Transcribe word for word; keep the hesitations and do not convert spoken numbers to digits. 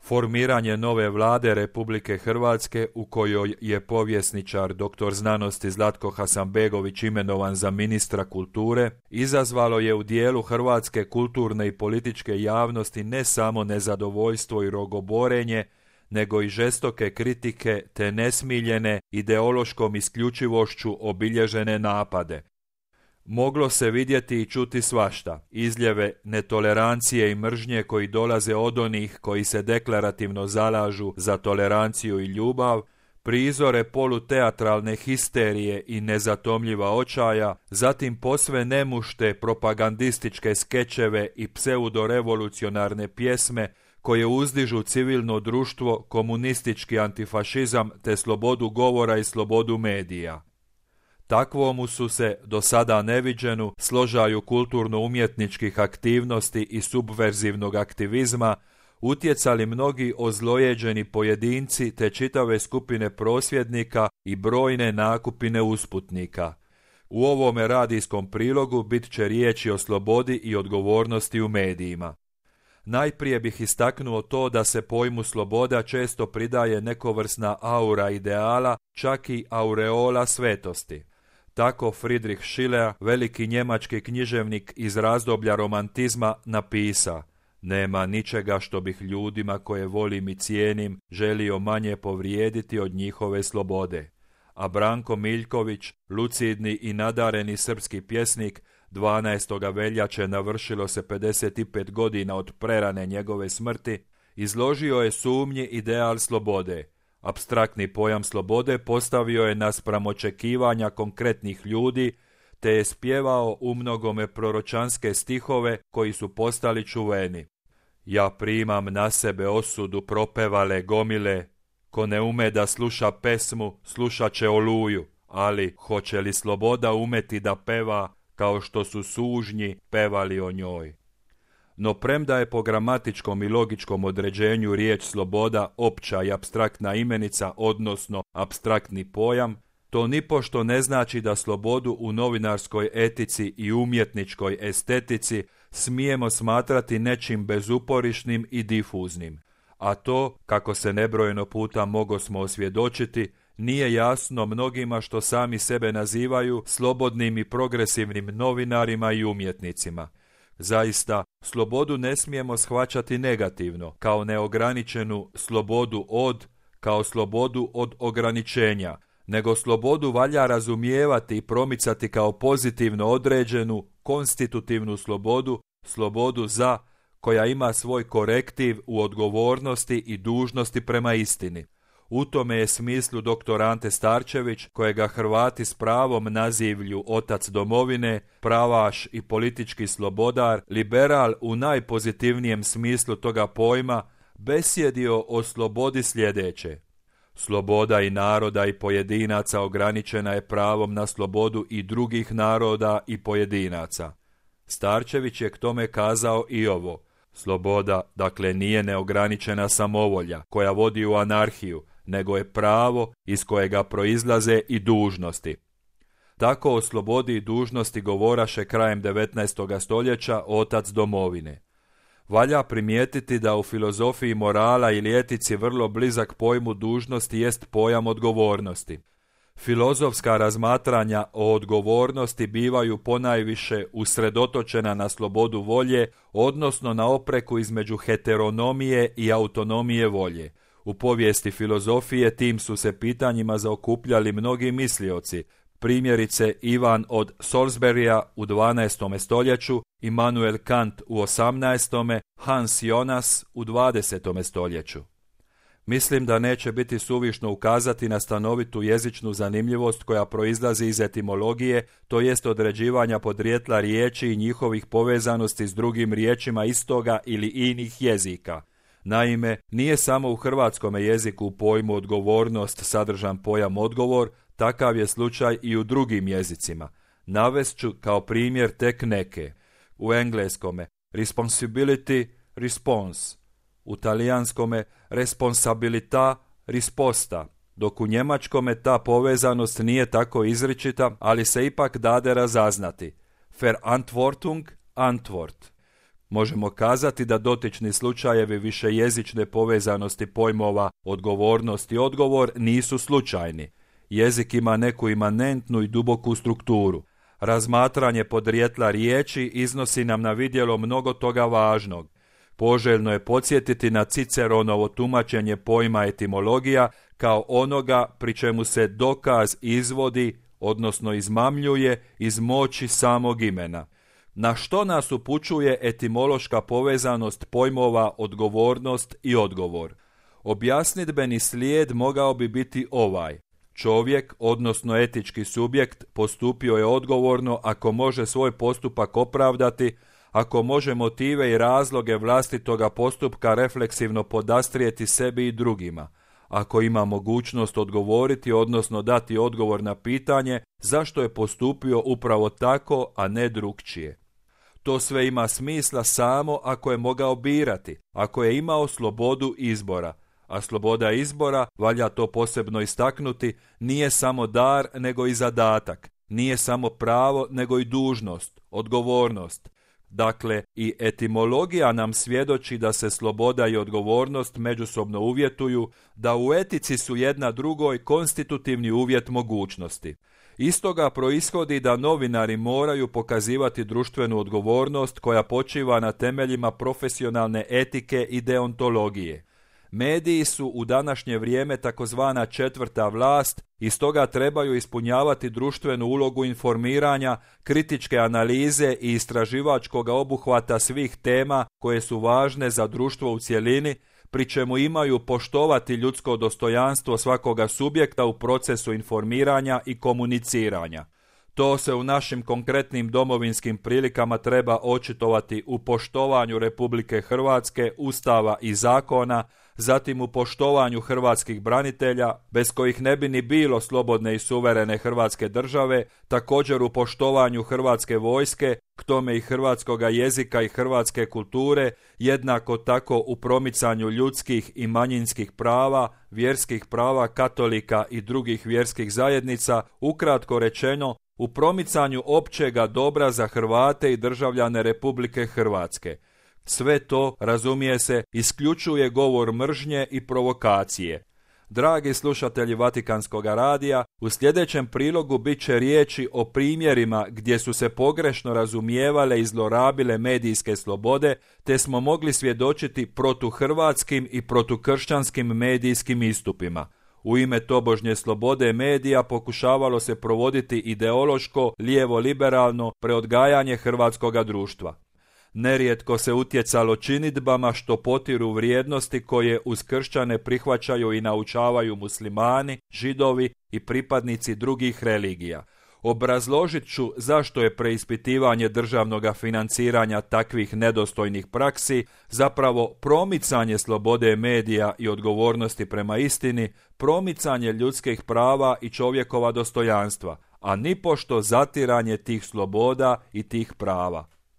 Formiranje nove vlade Republike Hrvatske, u kojoj je povjesničar doktor znanosti Zlatko Hasanbegović imenovan za ministra kulture, izazvalo je u dijelu hrvatske kulturne i političke javnosti ne samo nezadovoljstvo i rogoborenje, nego i žestoke kritike te nesmiljene ideološkom isključivošću obilježene napade. Moglo se vidjeti i čuti svašta, izljeve netolerancije i mržnje koji dolaze od onih koji se deklarativno zalažu za toleranciju i ljubav, prizore poluteatralne histerije i nezatomljiva očaja, zatim posve nemušte propagandističke skečeve i pseudorevolucionarne pjesme koje uzdižu civilno društvo, komunistički antifašizam te slobodu govora i slobodu medija. Takvomu su se, do sada neviđenu, složaju kulturno-umjetničkih aktivnosti i subverzivnog aktivizma utjecali mnogi ozlojeđeni pojedinci te čitave skupine prosvjednika i brojne nakupine usputnika. U ovome radijskom prilogu bit će riječi o slobodi i odgovornosti u medijima. Najprije bih istaknuo to da se pojmu sloboda često pridaje nekovrsna aura ideala, čak i aureola svetosti. Tako Friedrich Schiller, veliki njemački književnik iz razdoblja romantizma, napisa: nema ničega što bih ljudima koje volim i cijenim želio manje povrijediti od njihove slobode. A Branko Miljković, lucidni i nadareni srpski pjesnik, dvanaestog veljače navršilo se pedeset pet godina od prerane njegove smrti, izložio je sumnji ideal slobode. Apstraktni pojam slobode postavio je naspram očekivanja konkretnih ljudi, te je spjevao umnogome proročanske stihove koji su postali čuveni. Ja primam na sebe osudu propevale gomile, ko ne ume da sluša pesmu, slušat će oluju, ali hoće li sloboda umeti da peva kao što su sužnji pevali o njoj? No premda je po gramatičkom i logičkom određenju riječ sloboda opća i apstraktna imenica, odnosno apstraktni pojam, to nipošto ne znači da slobodu u novinarskoj etici i umjetničkoj estetici smijemo smatrati nečim bezuporišnim i difuznim. A to, kako se nebrojeno puta mogosmo osvjedočiti, nije jasno mnogima što sami sebe nazivaju slobodnim i progresivnim novinarima i umjetnicima. Zaista, slobodu ne smijemo shvaćati negativno, kao neograničenu slobodu od, kao slobodu od ograničenja, nego slobodu valja razumijevati i promicati kao pozitivno određenu, konstitutivnu slobodu, slobodu za, koja ima svoj korektiv u odgovornosti i dužnosti prema istini. U tome je smislu doktor Ante Starčević, kojega Hrvati s pravom nazivlju otac domovine, pravaš i politički slobodar, liberal u najpozitivnijem smislu toga pojma, besjedio o slobodi sljedeće: sloboda i naroda i pojedinaca ograničena je pravom na slobodu i drugih naroda i pojedinaca. Starčević je k tome kazao i ovo: sloboda, dakle, nije neograničena samovolja koja vodi u anarhiju, nego je pravo iz kojega proizlaze i dužnosti. Tako o slobodi i dužnosti govoraše krajem devetnaestog stoljeća otac domovine. Valja primijetiti da u filozofiji morala ili etici vrlo blizak pojmu dužnosti jest pojam odgovornosti. Filozofska razmatranja o odgovornosti bivaju ponajviše usredotočena na slobodu volje, odnosno na opreku između heteronomije i autonomije volje. U povijesti filozofije tim su se pitanjima zaokupljali mnogi mislioci, primjerice Ivan od Salisburya u dvanaestom stoljeću, Immanuel Kant u osamnaestom, Hans Jonas u dvadesetom stoljeću. Mislim da neće biti suvišno ukazati na stanovitu jezičnu zanimljivost koja proizlazi iz etimologije, to jest određivanja podrijetla riječi i njihovih povezanosti s drugim riječima istoga ili inih jezika. Naime, nije samo u hrvatskom jeziku u pojmu odgovornost sadržan pojam odgovor, takav je slučaj i u drugim jezicima. Navest ću kao primjer tek neke. U engleskome responsibility, response. U talijanskome responsabilità, risposta, dok u njemačkome ta povezanost nije tako izričita, ali se ipak dade razaznati. Verantwortung, Antwort. možemo kazati da dotični slučajevi višejezične povezanosti pojmova odgovornost i odgovor nisu slučajni. Jezik ima neku imanentnu i duboku strukturu. Razmatranje podrijetla riječi iznosi nam na vidjelo mnogo toga važnog. Poželjno je podsjetiti na Ciceronovo tumačenje pojma etimologija kao onoga pri čemu se dokaz izvodi, odnosno izmamljuje iz moći samog imena. Na što nas upućuje etimološka povezanost pojmova odgovornost i odgovor? Objasnidbeni slijed mogao bi biti ovaj. Čovjek, odnosno etički subjekt, postupio je odgovorno ako može svoj postupak opravdati, ako može motive i razloge vlastitoga postupka refleksivno podastrijeti sebi i drugima, ako ima mogućnost odgovoriti, odnosno dati odgovor na pitanje zašto je postupio upravo tako, a ne drukčije. To sve ima smisla samo ako je mogao birati, ako je imao slobodu izbora, a sloboda izbora, valja to posebno istaknuti, nije samo dar nego i zadatak, nije samo pravo nego i dužnost, odgovornost. Dakle, i etimologija nam svjedoči da se sloboda i odgovornost međusobno uvjetuju, da u etici su jedna drugoj konstitutivni uvjet mogućnosti. Iz toga proishodi da novinari moraju pokazivati društvenu odgovornost koja počiva na temeljima profesionalne etike i deontologije. Mediji su u današnje vrijeme takozvana četvrta vlast i stoga trebaju ispunjavati društvenu ulogu informiranja, kritičke analize i istraživačkog obuhvata svih tema koje su važne za društvo u cjelini, pri čemu imaju poštovati ljudsko dostojanstvo svakoga subjekta u procesu informiranja i komuniciranja. To se u našim konkretnim domovinskim prilikama treba očitovati u poštovanju Republike Hrvatske, Ustava i zakona, zatim u poštovanju hrvatskih branitelja, bez kojih ne bi ni bilo slobodne i suverene Hrvatske države, također u poštovanju Hrvatske vojske, k tome i hrvatskoga jezika i hrvatske kulture, jednako tako u promicanju ljudskih i manjinskih prava, vjerskih prava katolika i drugih vjerskih zajednica, ukratko rečeno, u promicanju općega dobra za Hrvate i državljane Republike Hrvatske. Sve to, razumije se, isključuje govor mržnje i provokacije. Dragi slušatelji Vatikanskog radija, u sljedećem prilogu bit će riječi o primjerima gdje su se pogrešno razumijevale i zlorabile medijske slobode, te smo mogli svjedočiti protuhrvatskim i protukršćanskim medijskim istupima. U ime tobožnje slobode medija pokušavalo se provoditi ideološko, lijevo-liberalno preodgajanje hrvatskoga društva. Nerijetko se utjecalo činidbama što potiru vrijednosti koje uz kršćane prihvaćaju i naučavaju muslimani, židovi i pripadnici drugih religija. Obrazložit ću zašto je preispitivanje državnog financiranja takvih nedostojnih praksi zapravo promicanje slobode medija i odgovornosti prema istini, promicanje ljudskih prava i čovjekova dostojanstva, a nipošto zatiranje tih sloboda i tih prava.